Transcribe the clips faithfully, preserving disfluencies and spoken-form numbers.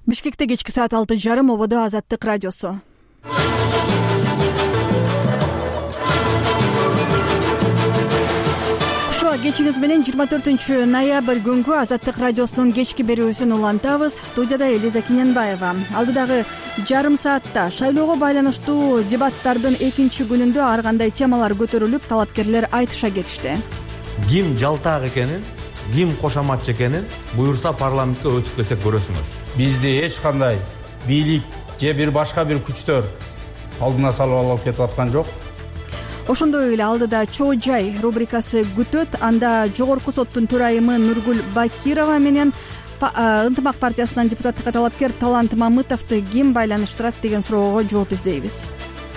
Бишкекте кечки саат алты жарым ободо Азаттык радиосу. Ошо кечиңиз менен жыйырма төртүнчү ноябрь күнгү Азаттык радиосунун кечки берүүсүн улантабыз. Студияда Элиза Киненбаева. Алдыдагы жарым саатта шайлоого байланыштуу дебаттардын экинчи күнүндө ар кандай темалар көтөрүлүп, талапкерлер айтыша кетишти. Ким жалтак экенин, ким кошоматчы экенин буюрса парламентке өтүп келсек көрөсүңөр. Бизди эч кандай бийлик же бир башка бир күчтөр алдына салып алып кетип аткан жок. Ошондой эле алдыда чоо жай рубрикасы күтөт. Анда жогорку соттун төрайымы Нургүл Бакирова менен Ынтымак партиясынан депутаттыкка талапкер Талант Мамытовду ким байланыштырат деген суроого жооп издейбиз.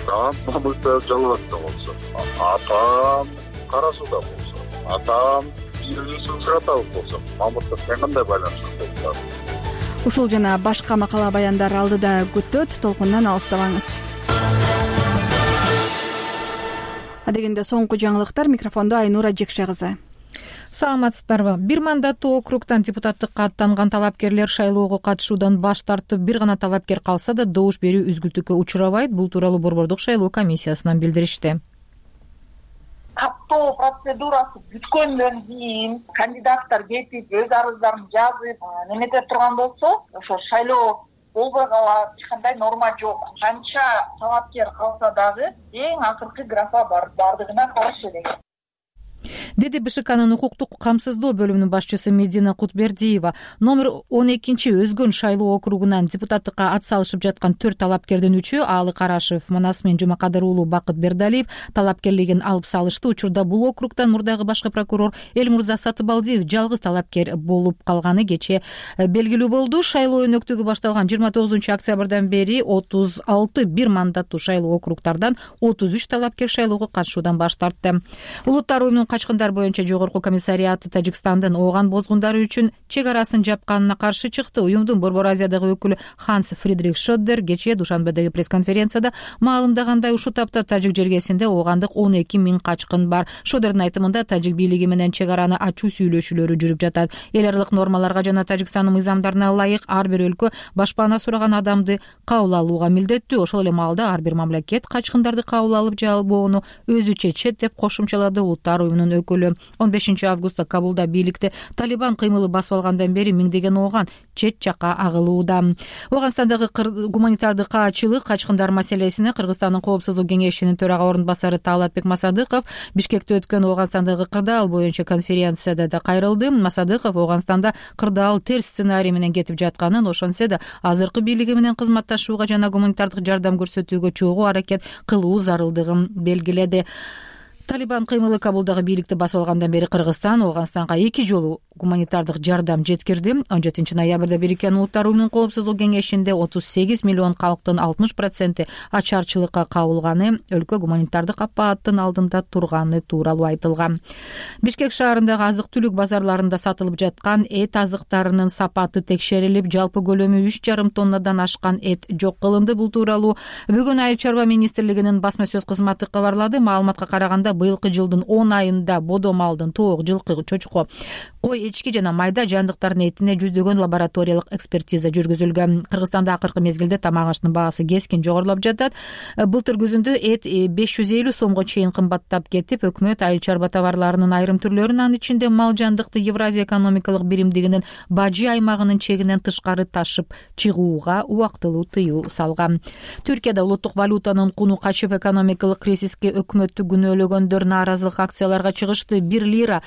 Талант Мамытов жалгатта болсо, атам Кара Сууда болсо, атам Юнусов Сыратов болсо, Мамытов кандай байланыштырат? Ушул жана башка макала баяндар алдыда күтөт. Толкундан алыстабаңыз. Адегенде соңку жаңылыктар. Микрофондо Айнура Жекше кызы. Саламатсыздарбы? Бир мандаттуу округтан депутаттыкка аттанган талапкерлер шайлоого катышуудан баш тартып, бир гана талапкер калса да добуш берүү үзгүлтүккө учурабайт. Бул тууралуу Борбордук шайлоо комиссиясынан билдиришти. Каттоо процедурасы бүткөндөн кийин кандидаттар кетип өз арыздарын жазып немете турган болсо, ошо шайлоо болбой калат, эч кандай норма жок. Канча талапкер калса дагы эң акыркы графа бар, бардыгына каршы деген. Деди БШКнын укуктук камсыздоо бөлүмүнүн башчысы Медина Кутбердиева. Номер он экинчи Өзгөн шайлоо округунан депутаттыкка ат салышып жаткан төрт талапкердин үчөө Алы Карашев, Манасмин Жумакадыр уулу Бакыт Бердалиев талапкерлигин алып салышты. Учурда бул округтан мурдагы башкы прокурор Элмурза Сатыбалдиев жалгыз талапкер болуп калганы кечээ белгилүү болду. Шайлоо өнөктүгү башталган жыйырма тогузунчу октябрдан бери отуз алты бир мандаттуу шайлоо округтардан отуз үч талапкер шайлоого катышуудан баш тартты. Улуттар уюмунун качкындар боюнча жогорку комиссариаты Тажикстандын ооган бозгундары үчүн чек арасын жапканына каршы чыкты. Уюмдун Борбор Азиядагы өкүлү Ханс Фридрих Шоддер кечээ Душанбедеги пресс-конференцияда маалымдагандай, ушул тапта тажик жергесинде оогандык он эки миң качкын бар. Шоддердин айтымында тажик бийлиги менен чек араны ачуу сүйлөшүүлөрү жүрүп жатат. Эл аралык нормаларга жана Тажикстандын мыйзамдарына ылайык ар бир өлкө башпаана сураган адамды кабыл алууга милдеттүү. Ошол эле маалда ар бир мамлекет качкындарды кабыл алып же албоону өзү чечет деп кошумчалады Улуттар уюмунун өкүлү. он бешинчи августта Кабулда бийликти Талибан кыймылы басып алгандан бери миңдеген ооган чет жакка агылууда. Ооганстандагы гуманитардык каачылык качкындар маселесине Кыргызстандын коопсуздук кеңешинин төрага орун басары Таалатбек Масадыков Бишкекте өткөн Ооганстандагы кырдаал боюнча конференцияда да кайрылды. Масадыков Ооганстанда кырдаал терс сценарий менен кетип жатканын, ошентсе да азыркы бийлиги менен кызматташууга жана гуманитардык жардам көрсөтүүгө чогуу аракет кылуу зарылдыгын белгиледи. Талибан кыймылы Кабулдагы бийликти басып алгандан бери Кыргызстан Ооганстанга эки жолу гуманитардык жардам жеткирди. он жетинчи ноябрда Бириккен Улуттар уюмунун коопсуздук кеңешинде отуз сегиз миллион калктын алтымыш проценти ачарчылыкка кабылганы, өлкө гуманитардык апааттын алдында турганы тууралуу айтылган. Бишкек шаарындагы азык-түлүк базарларында сатылып жаткан эт азыктарынын сапаты текшерилип, жалпы көлөмү үч жарым тоннадан ашкан эт жок кылынды. Бул тууралуу бүгүн Айыл чарба министрлигинин басма сөз кызматы кабарлады. Маалыматка караганда быйылкы жылдын он айында бодо малдын, тоок, жылкы, чочко, кой, эчки жана майда жандыктардын этине жүздөгөн лабораториялык экспертиза жүргүзүлгөн. Кыргызстанда акыркы мезгилде тамак аштын баасы кескин жогорулап жатат. Былтыр күзүндө эт беш жүз элүү сомго чейин кымбаттап кетип, өкмөт айыл чарба товарларынын айрым түрлөрүн, анын ичинде мал жандыкты Евразия экономикалык биримдигинин бажы аймагынын чегинен тышкары ташып чыгууга убактылуу тыюу салган. Түркияда улуттук валютанын куну качып, экономикалык кризиске өкмөттү күнөөлөгөндөр нааразылык акцияларга чыгышты. Бир лира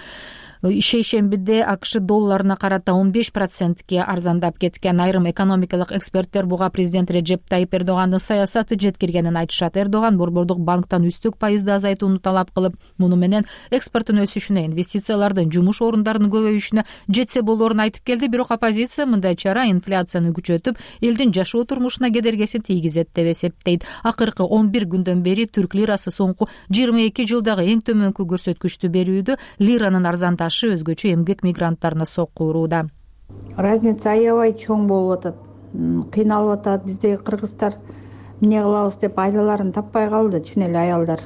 шейшембиде АКШ долларына карата он беш процентке арзандап кеткен. Айрым экономикалык эксперттер буга президент Реджеп Тайип Эрдогандын саясаты жеткиргенин айтышат. Эрдоган Борбордук банктан үстүк пайызды азайтууну талап кылып, муну менен экспорттун өсүшүнө, инвестициялардын, жумуш орундарынын көбөйүшүнө жетсе болоорун айтып келди. Бирок оппозиция мындай чара инфляцияны күчөтүп, элдин жашоо турмушуна кедергесин тийгизет деп эсептейт. Акыркы он бир күндөн бери түрк лирасы соңку жыйырма эки жылдагы эң төмөнкү көрсөткүчтү берүүдө. Лиранын арзандашы өзгөчө эмгек мигранттарына сокку урууда. Разница аябай чоң болуп атат. Кыйналып атат. Биздеги кыргыздар эмне кылабыз деп айлаларын таппай калды, чын эле аялдар.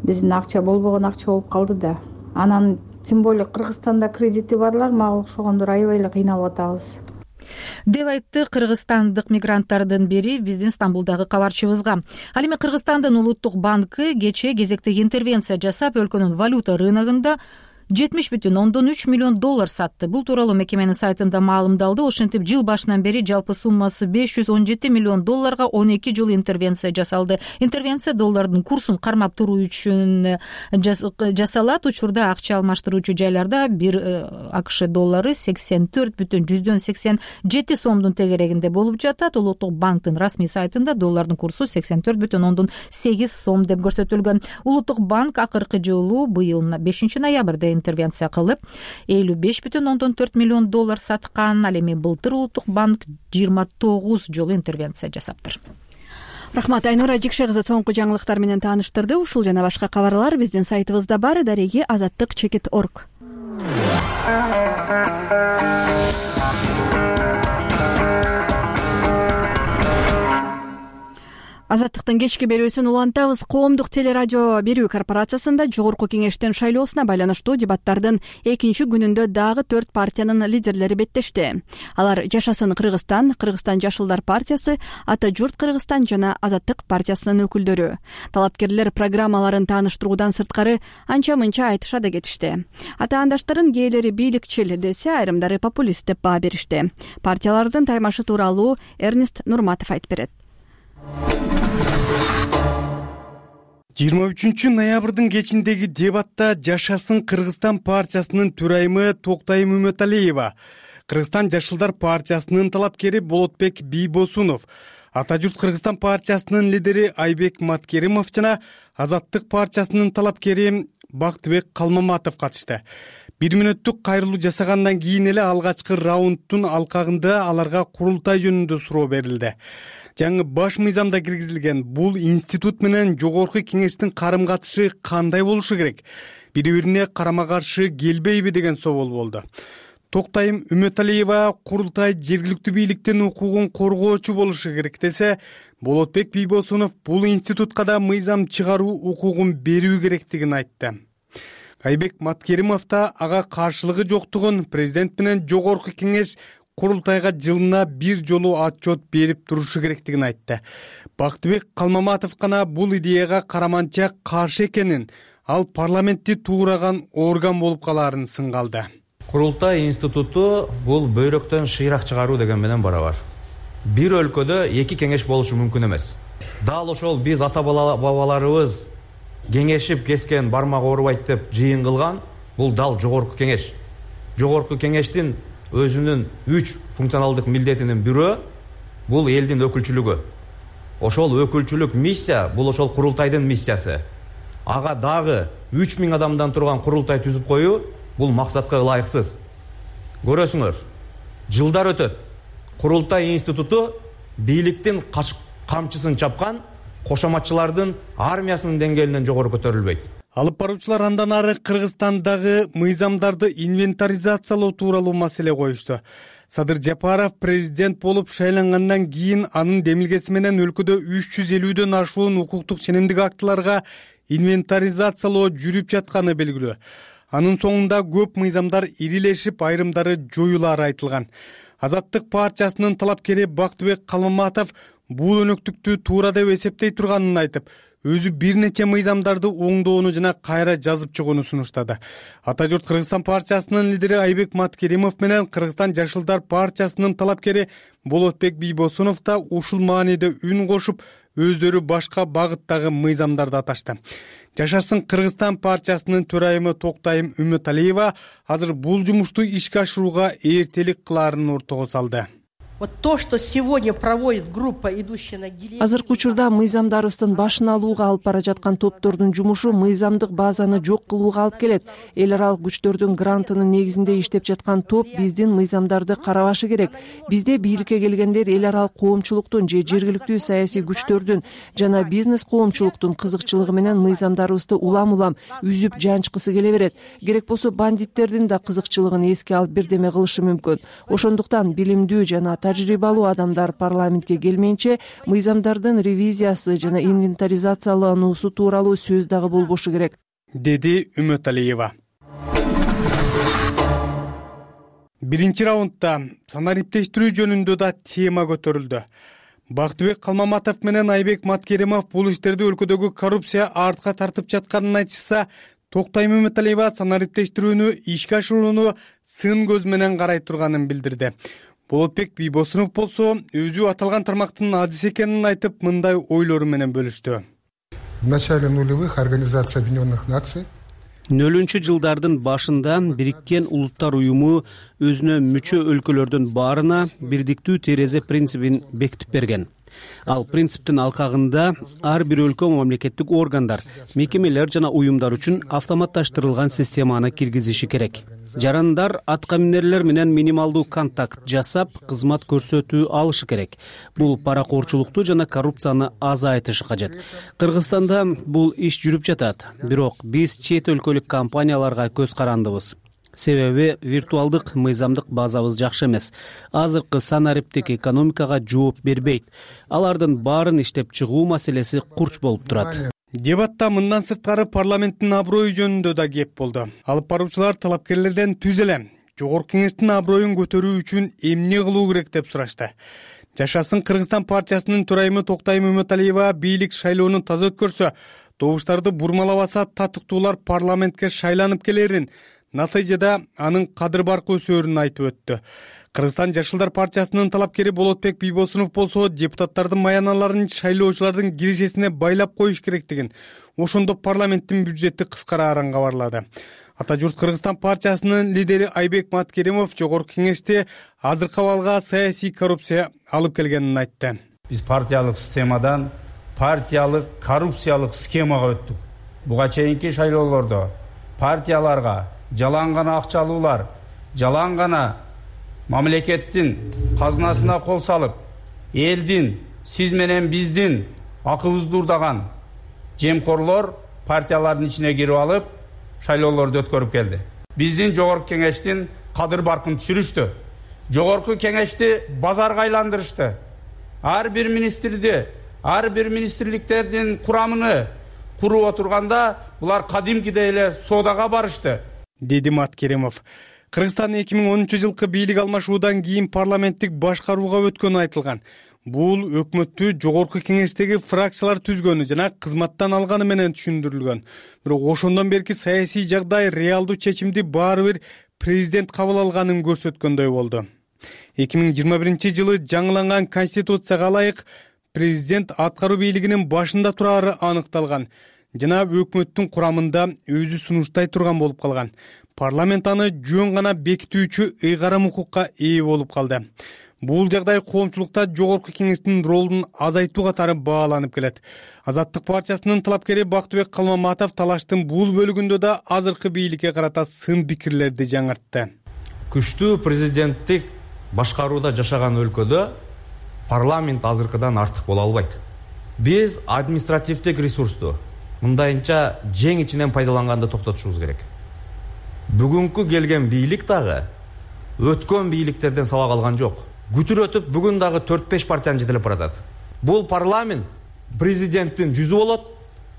Биздин акча болбогон акча болуп калды да. Анан тем более Кыргызстанда кредити барлар мага окшогондор аябай эле кыйналып атабыз. деп айтты кыргызстандык мигранттардын бири биздин Стамбулдагы кабарчыбызга. Ал эми Кыргызстандын улуттук банкы кечээ кезектеги интервенция жасап, өлкөнүн валюта рыногунда жетимиш бүтүн ондон үч миллион доллар сатты. Бул тууралуу мекеменин сайтында маалымдалды. Ошентип жыл башынан бери жалпы суммасы беш жүз он жети миллион долларга он эки жолу интервенция жасалды. Интервенция доллардын курсун кармап туруу үчүн жасалат. Учурда акча алмаштыруучу жайларда бир АКШ доллары сексен төрт бүтүн жүздөн сексен жети сомдун тегерегинде болуп жатат. Улуттук банктын расмий сайтында доллардын курсу сексен төрт бүтүн ондон сегиз сом деп көрсөтүлгөн. Улуттук банк акыркы жолу быйыл бешинчи ноябрда интервенция кылып элүү беш бүтүн ондон төрт миллион доллар саткан. Ал эми былтыр улуттук банк жыйырма тогуз жолу интервенция жасаптыр. Рахмат, Айнура Жикше кызы соңку жаңылыктар менен тааныштырды. Ушул жана башка кабарлар биздин сайтыбызда бар. Дареги азаттык чекит точка орг. Азаттыктын кечки берүүсүн улантабыз. Коомдук телерадио берүү корпорациясында жогорку кеңештин шайлоосуна байланыштуу дебаттардын экинчи күнүндө дагы төрт партиянын лидерлери беттешти. Алар Жашасын Кыргызстан, Кыргызстан Жашылдар партиясы, Ата журт Кыргызстан жана Азаттык партиясынын өкүлдөрү. Талапкерлер программаларын тааныштыруудан сырткары анча-мынча айтыша да кетишти. Атаандаштарын кээлери бийликчил десе, айрымдары популист деп баа беришти. Партиялардын таймашы тууралуу Эрнест Нурматов айтып берет. жыйырма үчүнчү ноябрдын кечиндеги дебатта Жашасын Кыргызстан партиясынын төрайымы Токтайым Үмөталиева, Кыргызстан Жашылдар партиясынын талапкери Болотбек Бийбосунов, Ата журт Кыргызстан партиясынын лидери Айбек Маткеримов жана Азаттык партиясынын талапкери Бактыбек Калмаматов катышты. Бир мүнөттүк кайрылуу жасагандан кийин эле алгачкы раундтун алкагында аларга курултай жөнүндө суроо берилди. Жаңы баш мыйзамда киргизилген бул институт менен жогорку кеңештин карым катышы кандай болушу керек? Бири-бирине карама-каршы келбейби деген соол болду. Токтайым Үмөталиева курултай жергиликтүү бийликтин укугун коргоочу болушу керек десе, Болотбек Бийбосунов бул институтка да мыйзам чыгаруу укугун берүү керектигин айтты. Айбек Маткеримов да ага каршылыгы жоктугун, президент менен жогорку кеңеш курултайга жылына бир жолу отчет берип турушу керектигин айтты. Бактыбек Калмаматов гана бул идеяга караманча каршы экенин, ал парламентти туураган орган болуп калаарын сынгалды. Курултай институту бул бөйрөктөн шыйрак чыгаруу деген менен барабар. Бир өлкөдө эки кеңеш болушу мүмкүн эмес. Дал ошол биз ата бабаларыбыз кеңешип кескен бармак оорубайт деп жыйын кылган бул дал жогорку кеңеш. Жогорку кеңештин өзүнүн үч функционалдык милдетинин бирөө бул элдин өкүлчүлүгү. Ошол өкүлчүлүк миссия бул ошол курултайдын миссиясы. Ага дагы үч миң адамдан турган курултай түзүп коюу бул максатка ылайыксыз. Көрөсүңөр, жылдар өтөт. Курултай институту бийликтин камчысын чапкан кошоматчылардын армиясынын деңгээлинен жогору көтөрүлбөйт. Алып баруучулар андан ары Кыргызстандагы мыйзамдарды инвентаризациялоо тууралуу маселе коюшту. Садыр Жапаров президент болуп шайлангандан кийин анын демилгеси менен өлкөдө үч жүз элүүдөн ашуун укуктук ченемдик актыларга инвентаризациялоо жүрүп жатканы белгилүү. Анын соңунда көп мыйзамдар ирилешип, айрымдары жоюлары айтылган. Азаттык партиясынын талапкери Бактыбек Калмаматов бул өнөктүктү туура деп эсептей турганын айтып, өзү бир нече мыйзамдарды оңдоону жана кайра жазып чыгууну сунуштады. Ата журт Кыргызстан партиясынын лидери Айбек Маткеримов менен Кыргызстан Жашылдар партиясынын талапкери Болотбек Бийбосунов да ушул мааниде үн кошуп, өздөрү башка багыттагы мыйзамдарды аташты. Жашасын Кыргызстан партиясынын төрайымы Токтайым Үмөталиева азыр бул жумушту ишке ашырууга эртелик кылаарын ортого салды. Вот то, что сегодня проводит группа, идущая на гильотину. Азыркы учурда мыйзамдарыбыздын башын алууга алып бара жаткан топтордун жумушу мыйзамдык базаны жок кылууга алып келет. Эл аралык күчтөрдүн грантынын негизинде иштеп жаткан топ биздин мыйзамдарды карабашы керек. Бизде бийликке келгендер эл аралык коомчулуктун же жергиликтүү саясий күчтөрдүн жана бизнес коомчулуктун кызыкчылыгы менен мыйзамдарыбызды улам-улам үзүп жанчкысы келе берет. Керек болсо бандиттердин да кызыкчылыгын эске алып бирдеме кылышы мүмкүн. Ошондуктан билимдүү жана тажрыйбалуу адамдар парламентке келмейинче мыйзамдардын ревизиясы жана инвентаризациялануусу тууралуу сөз дагы болбошу керек, деди Үмөталиева. биринчи раундда санариптештирүү жөнүндө да тема көтөрүлдү. Бактыбек Калмаматов менен Айбек Маткеримов бул иштерди өлкөдөгү коррупция артка тартып жатканын айтышса, Токтай Мөмөталиева санариптештирүүнү ишке ашырууну сын көз менен карай турганын билдирди. Болотбек Бийбосунов болсо өзү аталган тармактын адис экенин айтып, мындай ойлору менен бөлүштү. В начале нулевых Организация Объединенных Наций нөлүнчү жылдардын башында Бириккен Улуттар уюму өзүнө мүчө өлкөлөрдүн баарына бирдиктүү терезе принцибин бекитип берген. Ал принциптин алкагында ар бир өлкө мамлекеттик органдар, мекемелер жана уюмдар үчүн автоматташтырылган системаны киргизиши керек. Жарандар атка минерлер менен минималдуу контакт жасап, кызмат көрсөтүү алышы керек. Бул паракорчулукту жана коррупцияны азайтышы кажет. Кыргызстанда бул иш жүрүп жатат, бирок биз чет өлкөлүк компанияларга көз карандыбыз. Себеби виртуалдык мыйзамдык базабыз жакшы эмес. Азыркы санариптик экономикага жооп бербейт. Алардын баарын иштеп чыгуу маселеси курч болуп турат. Дебатта мындан сырткары парламенттин аброю жөнүндө да кеп болду. Алып баруучулар талапкерлерден түз эле Жогорку Кеңештин аброюн көтөрүү үчүн эмне кылуу керек деп сурашты. Жашасын Кыргызстан партиясынын төрайымы Токтай Мөмөталиева бийлик шайлоону таза өткөрсө, добуштарды бурмалабаса татыктуулар парламентке шайланып келерин, натыйжада анын кадыр баркы өсөөрүн айтып өттү. Кыргызстан Жашылдар партиясынын талапкери Болотбек Бийбосунов болсо депутаттардын маяналарын шайлоочулардын кирешесине байлап коюш керектигин, ошондо парламенттин бюджети кыскарарын кабарлады. Ата журт Кыргызстан партиясынын лидери Айбек Маткеримов Жогорку Кеңеште азыркы абалга саясий коррупция алып келгенин айтты. Биз партиялык системадан партиялык коррупциялык схемага өттүк. Буга чейинки шайлоолордо партияларга жалаң гана акча алуулар, жалаң гана мамлекеттин казынасына кол салып, элдин, сиз менен биздин акыбызды урдаган жемкорлор партиялардын ичине кирип алып, шайлоолорду өткөрүп келди. Биздин Жогорку Кеңештин кадыр баркын түшүрүштү. Жогорку Кеңешти базарга айландырышты. Ар бир министрди, ар бир министрликтердин курамыны куруп отурганда, булар кадимкидей эле соодага барышты, деди Маткеримов. Кыргызстан эки миң онунчу жылкы бийлик алмашуудан кийин парламенттик башкарууга өткөнү айтылган. Бул өкмөттү Жогорку Кеңештеги фракциялар түзгөнү жана кызматтан алганы менен түшүндүрүлгөн. Бирок ошондон берки саясий жагдай реалдуу чечимди баары бир президент кабыл алганын көрсөткөндөй болду. эки миң жыйырма биринчи жылы жаңыланган конституцияга ылайык президент аткаруу бийлигинин башында турары аныкталган жана өкмөттүн курамында өзү сунуштай турган болуп калган. Парламент аны жөн гана бекитүүчү ыйгарым укукка ээ болуп калды. Бул жагдай коомчулукта Жогорку Кеңештин ролун азайтуу катары бааланып келет. Азаттык партиясынын талапкери Бактыбек Калмаматов талаштын бул бөлүгүндө да азыркы бийликке карата сын пикирлерди жаңыртты. Күчтүү президенттик башкарууда жашаган өлкөдө парламент азыркыдан артык боло албайт. Биз административдик ресурсту мындайынча жең ичинен пайдаланганды токтотушубуз керек. Бүгүнкү келген бийлик дагы өткөн бийликтерден сабак алган жок. Күтүр өтүп бүгүн дагы төрт беш партияны жетелеп баратат. Бул парламент президенттин жүзү болот,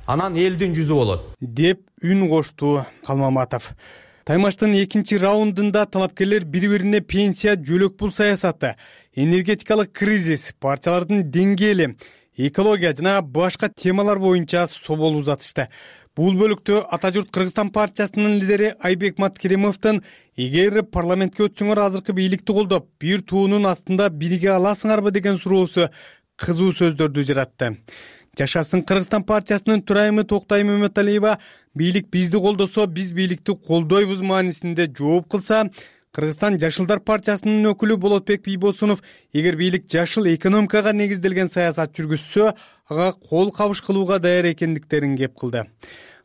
анан элдин жүзү болот, деп үн кошту Калмаматов. Таймаштын экинчи раундунда талапкерлер бири-бирине пенсия, жөлөк пул саясаты, энергетикалык кризис, партиялардын деңгээли, экология жана башка темалар боюнча собол узатышты. Бул бөлүктө Ата журт Кыргызстан партиясынын лидери Айбек Маткеримовдун эгер парламентке өтсөңөр азыркы бийликти колдоп, бир туунун астында бириге аласыңарбы деген суроосу кызуу сөздөрдү жаратты. Жашасын Кыргызстан партиясынын төрайымы Токтай Мөмөталиева бийлик бизди колдосо, биз бийликти колдойбуз маанисинде жооп кылса, Кыргызстан Жашылдар партиясынын өкүлү Болотбек Бийбосунов эгер бийлик жашыл экономикага негизделген саясат жүргүзсө, ага кол кабыш кылууга даяр экендиктерин кеп кылды.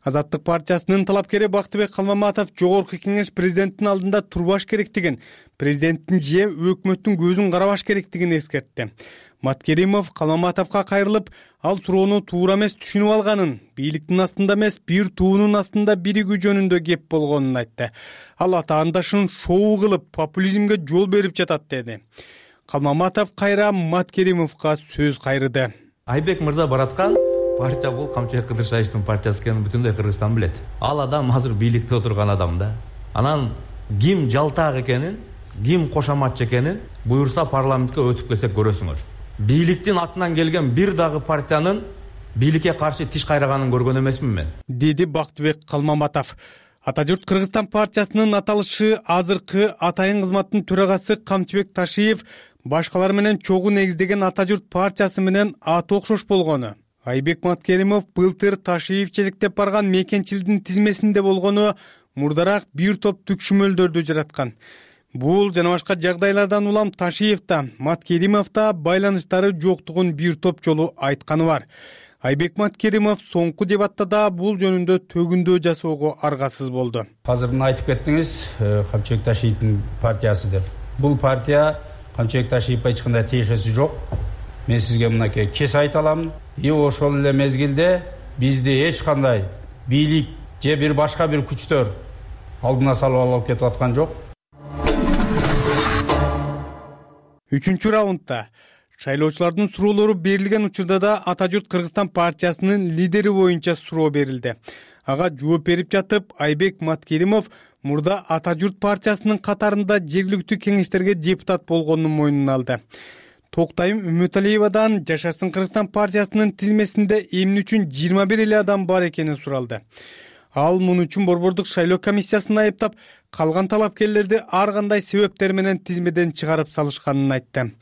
Азаттык партиясынын талапкери Бактыбек Калмаматов Жогорку Кеңеш президенттин алдында турбаш керектигин, президенттин же өкмөттүн көзүн карабаш керектигин эскертти. Маткеримов Калмаматовго кайрылып, ал суроону туура эмес түшүнүп алганын, бийликтин астында эмес, бир туунун астында биригүү жөнүндө кеп болгонун айтты. Ал атаандашын шоу кылып, популизмге жол берип жатат деди. Калмаматов кайра Маткеримовго сөз кайрыды. Айбек мырза бараткан партия бул Камчыбек Кыдыршаевдин партиясы экенин бүтүндөй Кыргызстан билет. Ал адам азыр бийликте отурган адам да. Анан ким жалтак экенин ким кошоматчы экенин буюрса парламентке өтүп келсек көрөсүңөр. Бийликтин атынан келген бир дагы партиянын бийликке каршы тиш кайраганын көргөн эмесмин мен, деди Бактыбек Калмаматов. Ата журт Кыргызстан партиясынын аталышы азыркы атайын кызматтын төрагасы Камчыбек Ташиев башкалар менен чогуу негиздеген Ата журт партиясы менен аты окшош болгону, Айбек Маткеримов былтыр Ташиев челектеп барган мекенчилдин тизмесинде болгону мурдараак бир топ түкшүмөлдөрдү жараткан. Бул жана башка жагдайлардан улам Ташиев да, Маткеримов да байланыштары жоктугун бир топ жолу айтканы бар. Айбек Маткеримов соңку дебатта да бул жөнүндө төгүндөө жасоого аргасыз болду. Азырын айтып кеттиңиз, Камчыбек Ташиевдин партиясы деп. Бул партия Камчыбек Ташиевге эч кандай тиешеси жок. Мен сизге мынакей кес айта алам. И ошол эле мезгилде бизди эч кандай бийлик же бир башка бир күчтөр алдына салып алып кетип аткан жок. Үчүнчү раундда шайлоочулардын суроолору берилген учурда да Ата журт Кыргызстан партиясынын лидери боюнча суроо берилди. Ага жооп берип жатып, Айбек Маткеримов мурда Ата журт партиясынын катарында жергиликтүү кеңештерге депутат болгонун мойнуна алды. Токтайым Үмөталиевадан Жашасын Кыргызстан партиясынын тизмесинде эмне үчүн жыйырма бир эле адам бар экени суралды. Ал муну үчүн Борбордук шайлоо комиссиясын айыптап, калган талапкерлерди ар кандай себептер менен тизмеден чыгарып салышканын айтты.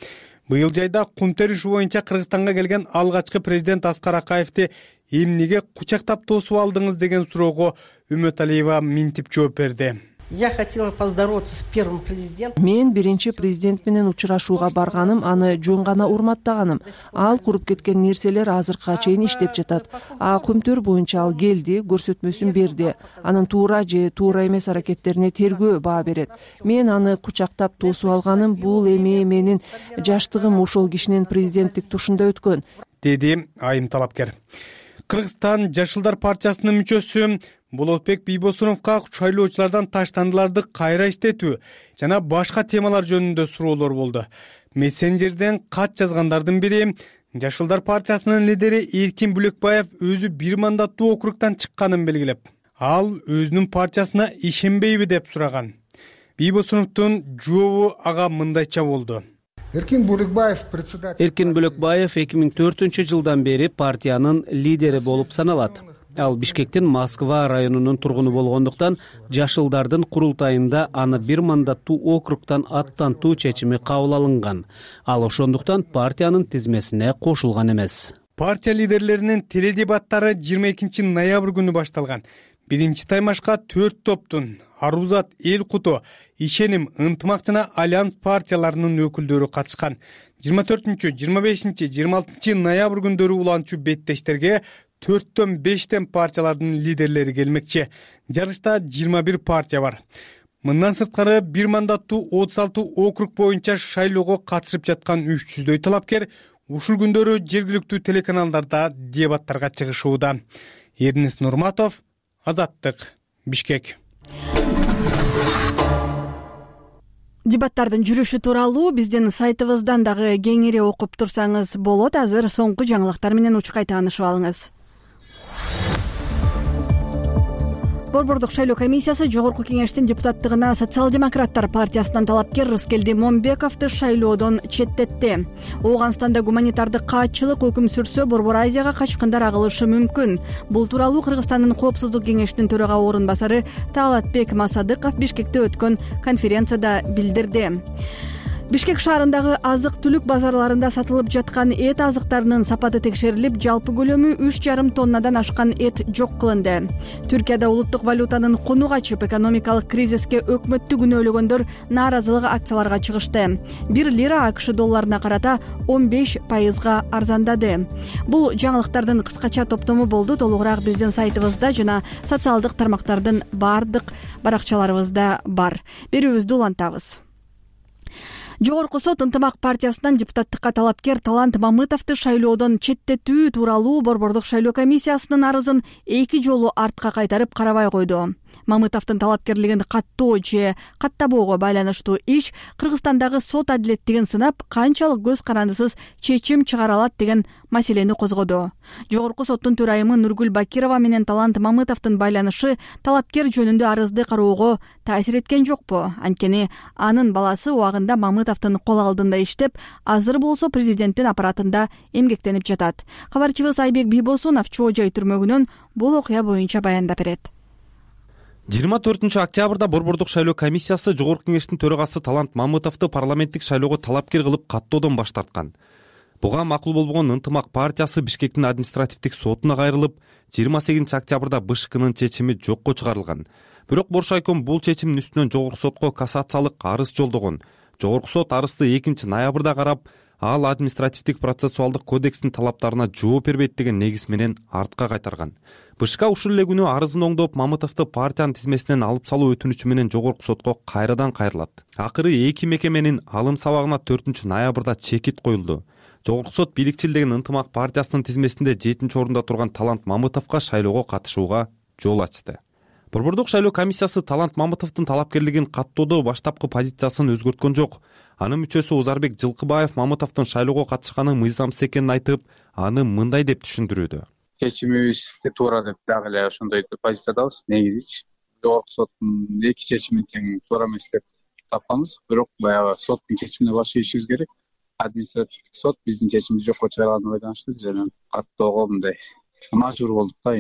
Быйыл жайда кум териши боюнча Кыргызстанга келген алгачкы президент Аскар Акаевди эмнеге кучактап тосуп алдыңыз деген суроого Үмөталиева минтип жооп берди. Я хотела поздороваться с первым президентом. Мен биринчи президент менен учурашууга барганым, аны жөн гана урматтаганым. Ал куруп кеткен нерселер азыркыга чейин иштеп жатат. А көмтөр боюнча ал келди, көрсөтмөсүн берди. Анын туура же туура эмес аракеттерине тергөө баа берет. Мен аны кучактап тосуп алганым, бул эми менин жаштыгым ошол кишинин президенттик тушунда өткөн, деди айым талапкер. Кыргызстан Жашылдар партиясынын мүчөсү Болотбек Бийбосуновго шайлоочулардан таштандыларды кайра иштетүү жана башка темалар жөнүндө суроолор болду. Мессенджерден кат жазгандардын бири Жашылдар партиясынын лидери Эркин Бүлөкбаев өзү бир мандаттуу округдан чыкканын белгилеп, ал өзүнүн партиясына ишенбейби деп сураган. Бийбосуновдун жообу ага мындайча болду. Эркин Бүлөкбаев председатель Эркин Бүлөкбаев эки миң төртүнчү жылдан бери партиянын лидери болуп саналат. Ал Бишкектин Москва районунун тургуну болгондуктан Жашылдардын курултайында аны бир мандаттуу округдан аттантуу чечими кабыл алынган. Ал ошондуктан партиянын тизмесине кошулган эмес. Партия лидерлеринин теледебаттары жыйырма экинчи ноябрь күнү башталган. Биринчи таймашка төрт топтун Арузат, Эл Куту, Ишеним, Ынтымак жана Альянс партияларынын өкүлдөрү катышкан. жыйырма төртүнчү, жыйырма бешинчи, жыйырма алтынчы ноябрь күндөрү уланчу беттештерге төрттөн бештен партиялардын лидерлери келмекчи. Жарышта жыйырма бир партия бар. Мындан сырткары бир мандаттуу отуз алты округ боюнча шайлоого катышып жаткан үч жүздөй талапкер ушул күндөрү жергиликтүү телеканалдарда дебаттарга чыгышууда. Эрнис Нурматов, Азаттык, Бишкек. Дебаттардын жүрүшү тууралуу биздин сайтыбыздан дагы кеңири окуп турсаңыз болот. Азыр соңку жаңылыктар менен учкай таанышып алыңыз. Борбордук шайлоо комиссиясы жогорку кеңештин депутаттыгына Социал-демократтар партиясынан талапкер Рыскелди Момбековду шайлоодон четтетти. Ооганстанда гуманитардык каатчылык өкүм сүрсө, Борбор Азияга качкындар агылышы мүмкүн. Бул тууралуу Кыргызстандын коопсуздук кеңешинин төрага орун басары Таалатбек Масадыков Бишкекте өткөн конференцияда билдирди. Бишкек шаарындагы азык-түлүк базарларында сатылып жаткан эт азыктарынын сапаты текшерилип, жалпы көлөмү үч жарым тоннадан ашкан эт жок кылынды. Түркияда улуттук валютанын куну качып, экономикалык кризиске өкмөттү күнөөлөгөндөр нааразылык акцияларга чыгышты. Бир лира АКШ долларына карата он беш пайызга арзандады. Бул жаңылыктардын кыскача топтому болду. Толугураак биздин сайтыбызда жана социалдык тармактардын баардык баракчаларыбызда бар. Берүүбүздү улантабыз. Жогорку сот Ынтымак партиясынан депутаттыкка талапкер Талант Мамытовду шайлоодон четтетүү тууралуу Борбордук шайлоо комиссиясынын арызын эки жолу артка кайтарып карабай койду. Мамытовдун талапкерлигин каттоо же каттабоого байланыштуу иш Кыргызстандагы сот адилеттигин сынап, канчалык көз карандысыз чечим чыгара алат деген маселени козгоду. Жогорку соттун төрайымы Нургүл Бакирова менен Талант Мамытовдун байланышы талапкер жөнүндө арызды кароого таасир эткен жокпу? Анткени анын баласы убагында Мамытовдун кол алдында иштеп, азыр болсо президенттин аппаратында эмгектенип жатат. Кабарчыбыз Айбек Бийбосунов Чоо жай түрмөгүнөн бул окуя боюнча баяндап берет. жыйырма төртүнчү октябрда Борбордук шайлоо комиссиясы Жогорку Кеңештин төрагасы Талант Мамытовду парламенттик шайлоого талапкер кылып каттоодон баш тарткан. Буга макул болбогон Ынтымак партиясы Бишкектин административдик сотуна кайрылып, жыйырма сегизинчи октябрда БШКнын чечими жокко чыгарылган. Бирок Боршайком бул чечимдин үстүнөн Жогорку сотко кассациялык арыз жолдогон. Жогорку сот арызды экинчи ноябрда карап, ал административдик процессуалдык кодекстин талаптарына жооп бербейт деген негиз менен артка кайтарган. БШК ушул эле күнү арызын оңдоп, Мамытовду партиянын тизмесинен алып салуу өтүнүчү менен Жогорку сотко кайрадан кайрылат. Акыры эки мекеменин алым сабагына төртүнчү ноябрда чекит коюлду. Жогорку сот бийликчил деген Ынтымак партиясынын тизмесинде жетинчи орунда турган Талант Мамытовго шайлоого катышууга жол ачты. Борбордук шайлоо комиссиясы Талант Мамытовдун талапкерлигин каттоодо баштапкы позициясын өзгөрткөн жок. Анын мүчөсү Узарбек Жылкыбаев Мамытовдун шайлоого катышканы мыйзамсыз экенин айтып, аны мындай деп түшүндүрүүдө. Чечимибизди туура деп дагы эле ошондой позициядабыз. Негизичи Жогорку соттун эки чечимин тең туура эмес деп тапканбыз. Бирок баягы соттун чечимине баш ийишибиз керек. Административдик сот биздин чечимди жокко чыгарганына байланыштуу биз анан каттоого мындай мажбур болдук да.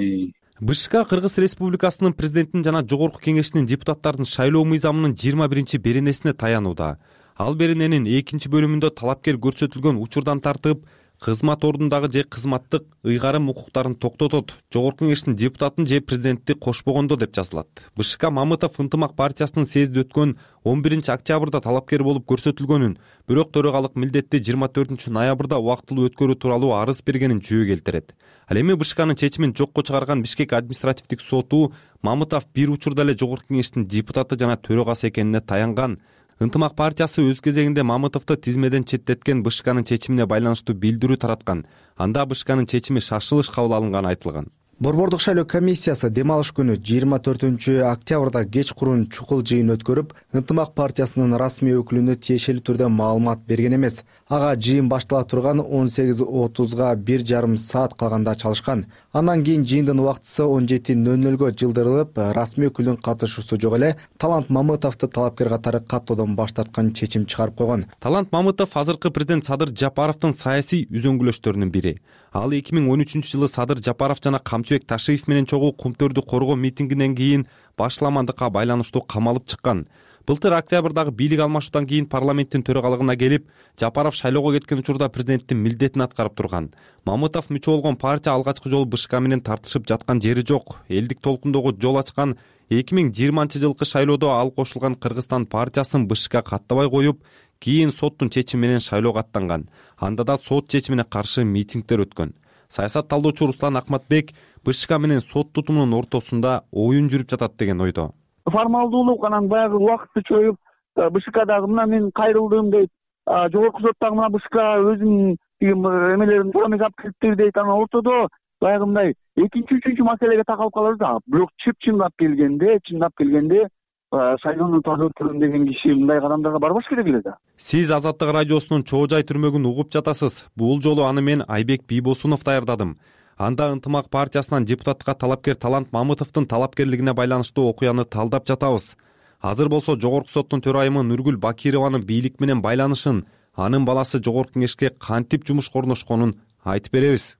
БШК Кыргыз Республикасынын президентин жана Жогорку Кеңештин депутаттардын шайлоо мыйзамынын жыйырма биринчи беренесине таянууда. Ал берененин экинчи бөлүмүндө талапкер көрсөтүлгөн учурдан тартып, кызмат ордундагы же кызматтык ыйгарым укуктарын токтотот, Жогорку Кеңештин депутатын же президентти кошпогондо деп жазылат. БШК Мамытов Ынтымак партиясынын съезди өткөн он биринчи октябрда талапкер болуп көрсөтүлгөнүн, бирок төрагалык милдетти жыйырма төртүнчү ноябрда убактылуу өткөрүү тууралуу арыз бергенин жөө келтирет. Ал эми БШКнын чечимин жокко чыгарган Бишкек административдик соту Мамытов бир учурда эле Жогорку Кеңештин депутаты жана төрагасы экенине таянган. Ынтымак партиясы өз кезегинде Мамытовду тизмеден четтеткен БШКнын чечимине байланыштуу билдирүү тараткан. Анда БШКнын чечими шашылыш кабыл алынганы айтылган. Борбордук шайлоо комиссиясы дем алыш күнү жыйырма төртүнчү октябрда кечкурун чукул жыйын өткөрүп, Ынтымак партиясынын расмий өкүлүнө тиешелүү түрдө маалымат берген эмес. Ага жыйын баштала турган он сегиз отузга бир жарым саат калганда чалышкан. Андан кийин жыйындын убактысы он жети нөл нөлгө жылдырылып, расмий өкүлдүн катышуусу жок эле Талант Мамытовду талапкер катары каттоодон баш тарткан чечим чыгарып койгон. Талант Мамытов азыркы президент Садыр Жапаровдун саясий үзөңгүлөштөрүнүн бири. Ал эки миң он үчүнчү жылы Садыр Жапаров жана Камчыбек Ташиев менен чогуу Кумтөрдү коргоо митингинен кийин башламандыкка байланыштуу камалып чыккан. Былтыр октябрдагы бийлик алмашуудан кийин парламенттин төрагалыгына келип, Жапаров шайлоого кеткен учурда президенттин милдетин аткарып турган. Мамытов мүчө болгон партия алгачкы жолу БШК менен тартышып жаткан жери жок. Элдик толкундогу жол ачкан эки миң жыйырманчы жылкы шайлоодо ал кошулган Кыргызстан партиясын БШК каттабай коюп, кийин соттун чечими менен шайлоого аттанган. Анда да сот чечимине каршы митингдер өткөн. Саясат талдоочу Руслан Акматбек БШК менен сот тутумунун ортосунда оюн жүрүп жатат деген ойдо. Формалдуулук анан баягы убакытты чоюп БШКдагы мына мен кайрылдым дейт, Жогорку соттагы мына БШК өзүнүн эмелерин туура эмес алып кириптир дейт. Анан ортодо баягы мындай экинчи үчүнчү маселеге такалып калабыз. Бирок чып чындап келгенде, чындап келгенде шайлоону таза өткөрөм деген киши мындай кадамдарга барбаш керек эле да. Сиз Азаттык радиосунун Чоо жай түрмөгүн угуп жатасыз. Бул жолу аны мен Айбек Бийбосунов даярдадым. Анда Ынтымак партиясынан депутатка талапкер Талант Мамытовдун талапкерлигине байланыштуу окуяны талдап жатабыз. Азыр болсо Жогорку соттун төрайымы Нургүл Бакированын бийлик менен байланышын, анын баласы Жогорку Кеңешке кантип жумушка орношконун айтып беребиз.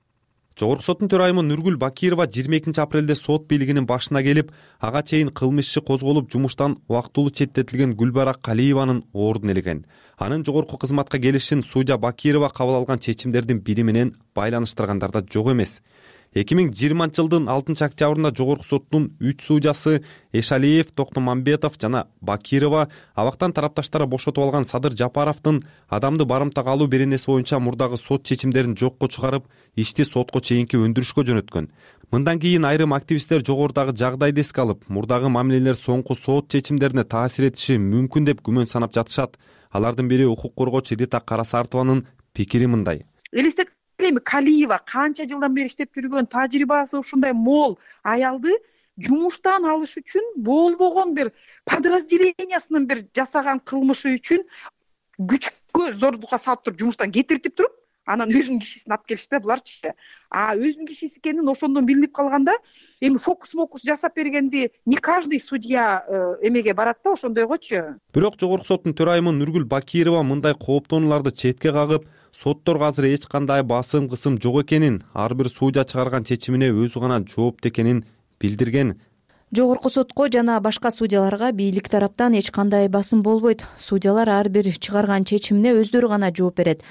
Жогорку соттун төрайымы Нургүл Бакирова жыйырма экинчи апрелде сот бийлигинин башына келип, ага чейин кылмыш иши козголуп, жумуштан убактылуу четтетилген Гүлбара Калиеванын ордун элеген. Анын жогорку кызматка келишин судья Бакирова кабыл алган чечимдердин бири менен байланыштыргандарда жок эмес. эки миң жыйырманчы жылдын алтынчы октябрында Жогорку соттун үч судьясы Эшалиев, Токтомамбетов жана Бакирова абактан тарапташтары бошотуп алган Садыр Жапаровдун адамды барымтага алуу беренеси боюнча мурдагы сот чечимдерин жокко чыгарып, ишти сотко чейинки өндүрүшкө жөнөткөн. Мындан кийин айрым активисттер жогорудагы жагдайды эске алып, мурдагы мамилелер соңку сот чечимдерине таасир этиши мүмкүн деп күмөн санап жатышат. Алардын бири укук коргоочу Рита Карасартованын пикири мындай. Калиева канча жылдан бери иштеп жүргөн, тажрыйбасы ушундай мол аялды жумуштан алыш үчүн болбогон бир подразделениясынын бир жасаган кылмышы үчүн күчкө зордукка салып туруп жумуштан кетиртип туруп анан өзүнүн кишисин алып келишти да буларчы. А өзүнүн кишиси экенин ошондон билинип калганда эми фокус мокус жасап бергенди не каждый судья эмеге барат да, ошондойгочу. Бирок жогорку соттун төрайымы Нургүл Бакирова мындай кооптонууларды четке кагып, сотторго азыр эч кандай басым кысым жок экенин, ар бир судья чыгарган чечимине өзү гана жоопту экенин билдирген. Жогорку сотко жана башка судьяларга бийлик тараптан эч кандай басым болбойт. Судьялар ар бир чыгарган чечимине өздөрү гана жооп берет.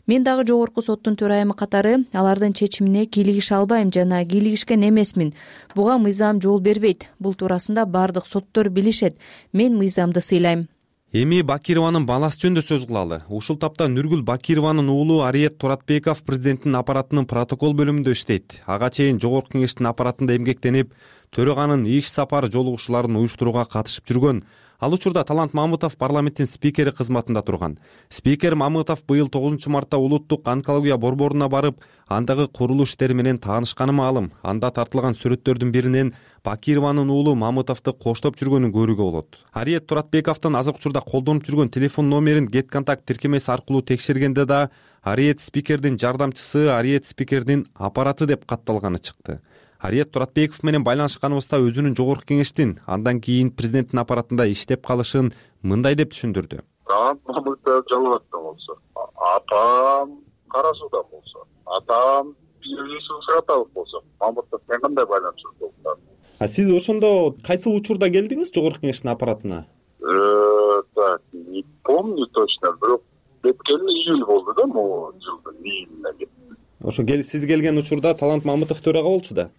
Мен дагы жогорку соттун төрайымы катары алардын чечимине кийлигише албайм жана кийлигишкен эмесмин. Буга мыйзам жол бербейт. Бул туурасында бардык соттор билишет. Мен мыйзамды сыйлайм. Эми Бакированын баласы жөнүндө сөз кылалы. Ушул тапта Нургүл Бакированын уулу Ариет Туратбеков президенттин аппаратынын протокол бөлүмүндө иштейт. Ага чейин жогорку кеңештин аппаратында эмгектенип, төраганын иш сапар жолугушууларын уюштурууга катышып жүргөн. Ал учурда Талант Мамытов парламенттин спикери кызматында турган. Спикер Мамытов быйыл тогузунчу мартта улуттук онкология борборуна барып, андагы курулуш иштери менен таанышканы маалым. Анда тартылган сүрөттөрдүн биринен Бакированын уулу Мамытовду коштоп жүргөнүн көрүүгө болот. Ариет Туратбековдун азыркы учурда колдонуп жүргөн телефон номерин Get Contact тиркемеси аркылуу текшергенде да Ариет спикердин жардамчысы, Ариет спикердин аппараты деп катталганы чыкты. Ариет Туратбеков менен байланышканыбызда өзүнүн жогорку кеңештин андан кийин президенттин аппаратында иштеп калышын мындай деп түшүндүрдү. Мамытов Жалал абадта болсо, атам Кара Сууда болсо, атам Сыраталык болсо, Мамытов менен кандай байланышып болду? А сиз ошондо кайсыл учурда келдиңиз жогорку кеңештин аппаратына? Э, так, не помню точно, бирок кеткени июль болду да, могу жылдын июлунда кеттим. Ошо сиз келген учурда Талант Мамытов төрага болчу да?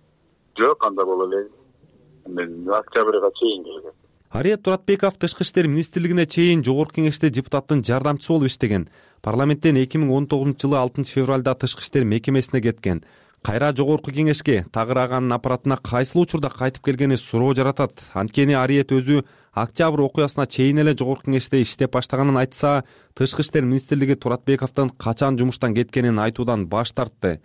Жок, анда боло элек. Мен октябрга чейин келгем. Ариет Туратбеков Тышкы иштер министрлигине чейин жогорку кеңеште депутаттын жардамчысы болуп иштеген. Парламенттен эки миң он тогузунчу жылы алтынчы февралда Тышкы иштер мекемесине кеткен. Кайра жогорку кеңешке тагыраганын аппаратына кайсыл учурда кайтып келгени суроо жаратат. Анткени Ариет өзү октябрь окуясына чейин эле жогорку кеңеште иштеп баштаганын айтса, Тышкы иштер министрлиги Туратбековдун качан жумуштан кеткенин айтуудан баш тартты.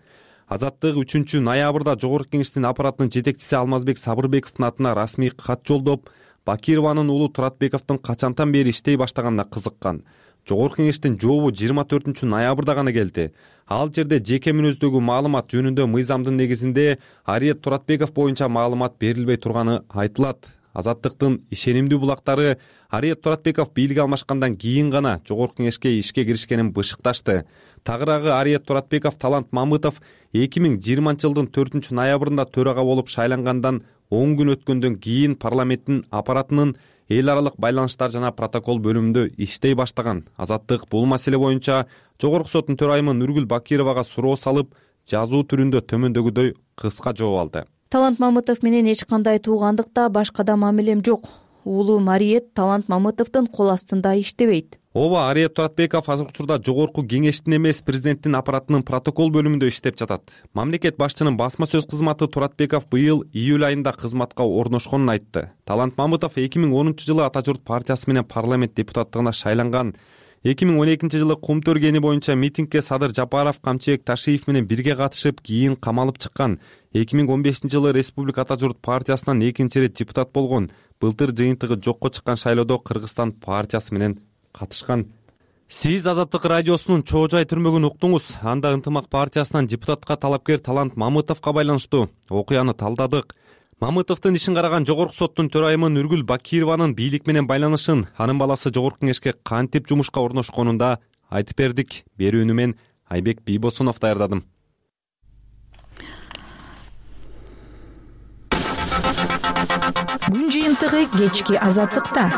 Азаттык үчүнчү ноябрда жогорку кеңештин аппаратынын жетекчиси Алмазбек Сабырбековдун атына расмий кат жолдоп, Бакированын уулу Туратбековдун качантан бери иштей баштаганына кызыккан. Жогорку кеңештин жообу жыйырма төртүнчү ноябрда гана келди. Ал жерде жеке мүнөздөгү маалымат жөнүндө мыйзамдын негизинде Ариет Туратбеков боюнча маалымат берилбей турганы айтылат. Азаттыктын ишенимдүү булактары Ариет Туратбеков бийлик алмашкандан кийин гана жогорку кеңешке ишке киришкенин бышыкташты. Тагыраагы Ариет Туратбеков Талант Мамытов эки миң жыйырманчы жылдын төртүнчү ноябрында төрага болуп шайлангандан он күн өткөндөн кийин парламенттин аппаратынын эл аралык байланыштар жана протокол бөлүмүндө иштей баштаган. Азаттык бул маселе боюнча жогорку соттун төрайымы Нургүл Бакировага суроо салып, жазуу түрүндө төмөндөгүдөй кыска жооп алды. Талант Мамытов менен эч кандай туугандыкта башка да мамилем жок. Уулум Ариет Талант Мамытовдун кол астында иштебейт. Ооба, Ариет Туратбеков азыркы учурда жогорку кеңештин эмес, президенттин аппаратынын протокол бөлүмүндө иштеп жатат. Мамлекет башчынын басма сөз кызматы Туратбеков быйыл июль айында кызматка орношконун айтты. Талант Мамытов эки миң онунчу жылы Ата журт партиясы менен парламент депутаттыгына шайланган. эки миң он экинчи жылы Кум Төргени боюнча митингге Садыр Жапаров, Камчыбек Ташиев менен бирге катышып, кийин камалып чыккан. эки миң он бешинчи жылы Республика Ата журт партиясынан экинчи ирет депутат болгон. Былтыр жыйынтыгы жокко чыккан шайлоодо Кыргызстан партиясы менен катышкан. Сиз Азаттык радиосунун чоо жай түрмөгүн уктуңуз. Анда Ынтымак партиясынан депутатка талапкер Талант Мамытовго байланыштуу окуяны талдадык. Мамытовдун ишин караган жогорку соттун төрайымы Нургүл Бакированын бийлик менен байланышын, анын баласы жогорку кеңешке кантип жумушка орношконун да айтып бердик. Берүүнү мен Айбек Бийбосунов даярдадым. Күн жыйынтыгы кечки Азаттыкта.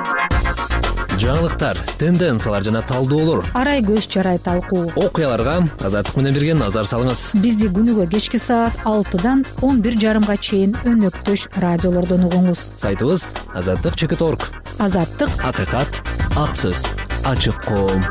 Жаңылыктар, тенденциялар жана талдоолор, арай көз чарай талкуу, окуяларга Азаттык менен бирге назар салыңыз. Бизди күнүгө кечки саат алтыдан он бир жарымга чейин өнөктөш радиолордон угуңуз. Сайтыбыз азаттык чекит точка орг. Азаттык, акыйкат, ак сөз, ачык коом.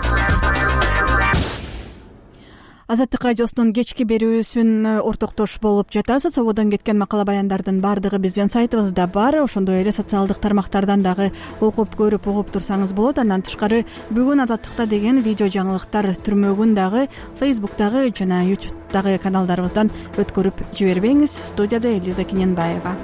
Азаттык радиосунун кечки берүүсүн ортоктош болуп жатасыз. Ободон кеткен макала баяндардын баардыгы биздин сайтыбызда бар. Ошондой эле социалдык тармактардан дагы окуп көрүп угуп турсаңыз болот. Андан тышкары бүгүн Азаттыкта деген видео жаңылыктар түрмөгүн дагы Facebook'тагы жана YouTube'дагы каналдарыбыздан өткөрүп жибербеңиз. Студияда Элиза Киненбаева.